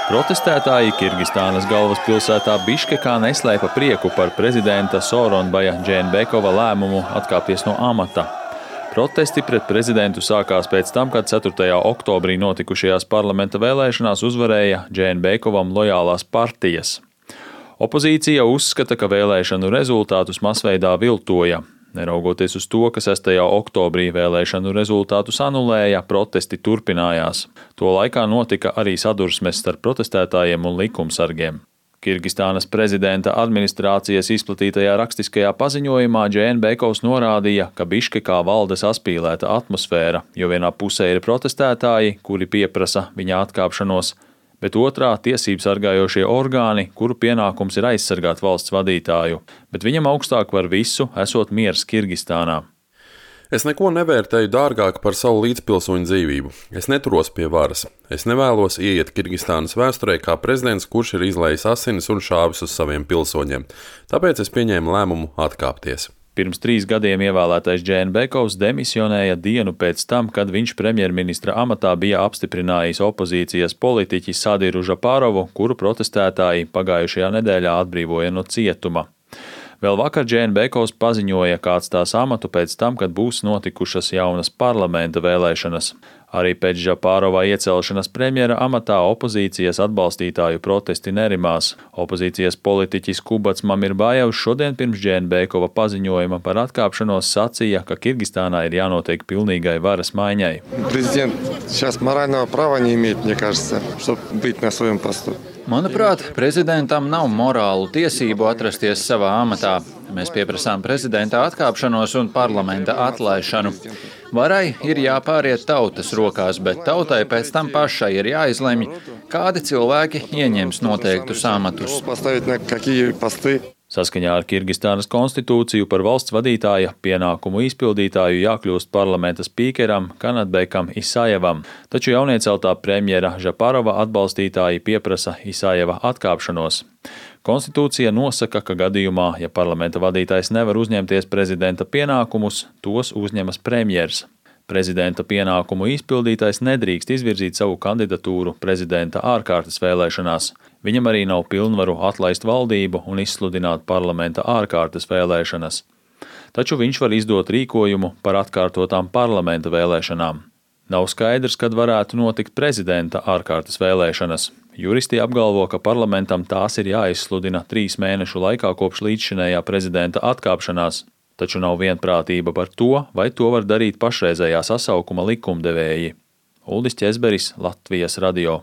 Protestētāji Kirgistānas galvaspilsētā Biškekā neslēpa prieku par prezidenta Sooronbaja Džēnbekova lēmumu atkāpties no amata. Protesti pret prezidentu sākās pēc tam, kad 4. oktobrī notikušajās parlamenta vēlēšanās uzvarēja Džēnbekovam lojālās partijas. Opozīcija uzskata, ka vēlēšanu rezultātus masveidā viltoja. Neraugoties uz to, ka 6. oktobrī vēlēšanu rezultātus anulēja, protesti turpinājās. To laikā notika arī sadursmes starp protestētājiem un likumsargiem. Kirgistānas prezidenta administrācijas izplatītajā rakstiskajā paziņojumā Džēnbekovs norādīja, ka Biškekā valda saspīlēta atmosfēra, jo vienā pusē ir protestētāji, kuri pieprasa viņa atkāpšanos, bet otrā tiesību sargājošie orgāni, kuru pienākums ir aizsargāt valsts vadītāju, bet viņam augstāk par visu esot miers Kirgistānā. Es neko nevērtēju dārgāk par savu līdzpilsoņu dzīvību. Es neturos pie varas. Es nevēlos ieiet Kirgistānas vēsturē kā prezidents, kurš ir izlējis asinis un šāvis uz saviem pilsoņiem. Tāpēc es pieņēmu lēmumu atkāpties. Pirms 3 gadiem ievēlētais Džēnbekovs demisionēja dienu pēc tam, kad viņš premjerministra amatā bija apstiprinājis opozīcijas politiķi Sadiru Žapārovu, kuru protestētāji pagājušajā nedēļā atbrīvoja no cietuma. Vēl vakar Džēnbekovs paziņoja, ka atstās amatu pēc tam, kad būs notikušas jaunas parlamenta vēlēšanas. Arī pēc Žapārova iecelšanas premjera amatā opozīcijas atbalstītāju protesti nerimās. Opozīcijas politiķis Kubats Mamirbājevs šodien pirms Džēnbekova paziņojuma par atkāpšanos sacīja, ka Kirgistānā ir jānotiek pilnīgai varas maiņai. Manuprāt, prezidentam nav morālu tiesību atrasties savā amatā. Mēs pieprasām prezidenta atkāpšanos un parlamenta atlaišanu. Varai ir jāpāriet tautas rokās, bet tautai pēc tam pašai ir jāizlemj, kādi cilvēki ieņems noteiktus amatus. Saskaņā ar Kirgistānas konstitūciju par valsts vadītāja pienākumu izpildītāju jākļūst parlamenta spīkeram Kanatbekam Isajevam, taču jaunieceltā premjera Žapārova atbalstītāji pieprasa Isajeva atkāpšanos. Konstitūcija nosaka, ka gadījumā, ja parlamenta vadītājs nevar uzņemties prezidenta pienākumus, tos uzņemas premjers. Prezidenta pienākumu izpildītājs nedrīkst izvirzīt savu kandidatūru prezidenta ārkārtas vēlēšanās. Viņam arī nav pilnvaru atlaist valdību un izsludināt parlamenta ārkārtas vēlēšanas. Taču viņš var izdot rīkojumu par atkārtotām parlamenta vēlēšanām. Nav skaidrs, kad varētu notikt prezidenta ārkārtas vēlēšanas. Juristi apgalvo, ka parlamentam tās ir jāizsludina 3 mēnešu laikā kopš līdzšinējā prezidenta atkāpšanās. Taču nav vienprātība par to, vai to var darīt pašreizējā sasaukuma likumdevēji. Uldis Ķezberis, Latvijas radio.